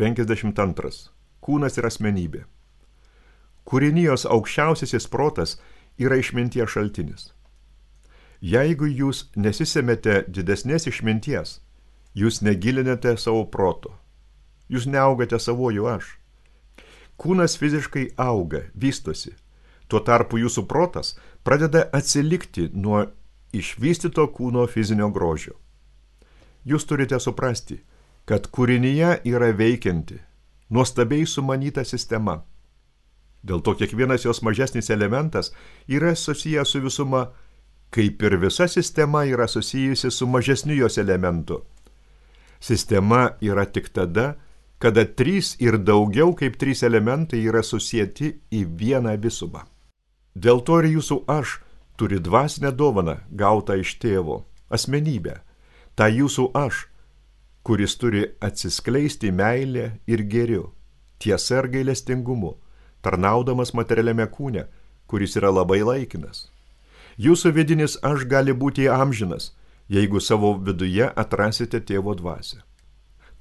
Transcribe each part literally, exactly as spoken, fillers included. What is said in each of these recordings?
penkiasdešimt antras. Kūnas ir asmenybė. Kūrinijos aukščiausiasis protas yra išminties šaltinis. Jeigu jūs nesisemete didesnės išminties, jūs negilinate savo proto. Jūs neaugate savojų aš. Kūnas fiziškai auga, vystosi. Tuo tarpu jūsų protas pradeda atsilikti nuo išvystyto kūno fizinio grožio. Jūs turite suprasti, kad kūrinyje yra veikianti, nuostabiai sumanyta sistema. Dėl to kiekvienas jos mažesnis elementas yra susijęs su visuma, kaip ir visa sistema yra susijusi su mažesniu jos elementu. Sistema yra tik tada, kada trys ir daugiau kaip trys elementai yra susieti į vieną visumą. Dėl to ir jūsų aš turi dvasinę dovaną gautą iš tėvo, asmenybę, tą jūsų aš, kuris turi atsiskleisti meilę ir gėriu, tiesa ir gailestingumu, tarnaudamas materialiame kūne, kuris yra labai laikinas. Jūsų vidinis aš gali būti amžinas, jeigu savo viduje atrasite tėvo dvasią.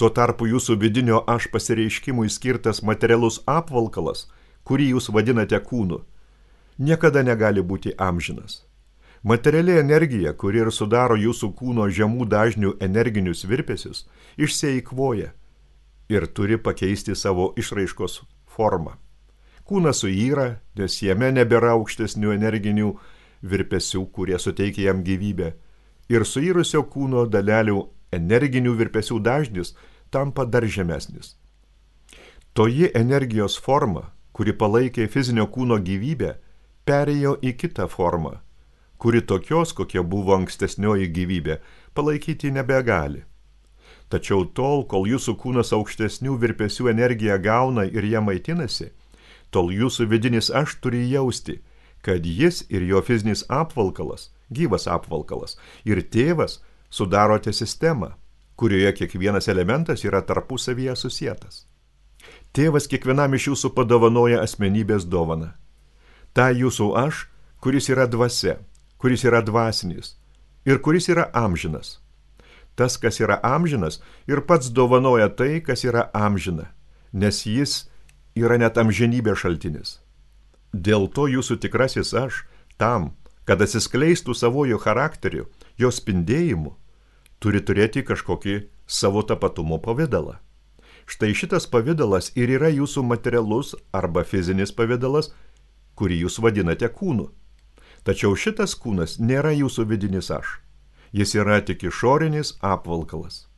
Tuo tarpu jūsų vidinio aš pasireiškimui skirtas materialus apvalkalas, kurį jūs vadinate kūnu, niekada negali būti amžinas. Materiali energija, kuri ir sudaro jūsų kūno žemų dažnių energinius virpesius, išsieikvoja ir turi pakeisti savo išraiškos formą. Kūnas suyra, nes jame nebėra aukštesnių energinių virpesių, kurie suteikia jam gyvybę, ir suyrusio kūno dalelių energinių virpesių dažnis tampa dar žemesnis. Toji energijos forma, kuri palaikė fizinio kūno gyvybę, perėjo į kitą formą, kuri tokios, kokia buvo ankstesnioji gyvybė, palaikyti nebegali. Tačiau tol, kol jūsų kūnas aukštesnių virpesių energiją gauna ir ją maitinasi, tol jūsų vidinis aš turi jausti, kad jis ir jo fizinis apvalkalas, gyvas apvalkalas, ir tėvas sudarote sistemą, kurioje kiekvienas elementas yra tarpusavyje susietas. Tėvas kiekvienam iš jūsų padovanoja asmenybės dovaną. Ta jūsų aš, kuris yra dvasia, kuris yra dvasinis ir kuris yra amžinas. Tas, kas yra amžinas, ir pats dovanoja tai, kas yra amžina, nes jis yra net amžinybės šaltinis. Dėl to jūsų tikrasis aš, tam, kad atsiskleistų savojų charakteriu, jo spindėjimu, turi turėti kažkokį savo tapatumo pavidalą. Štai šitas pavidalas ir yra jūsų materialus arba fizinis pavidalas, kurį jūs vadinate kūnu. Tačiau šitas kūnas nėra jūsų vidinis aš. Jis yra tik išorinis apvalkalas.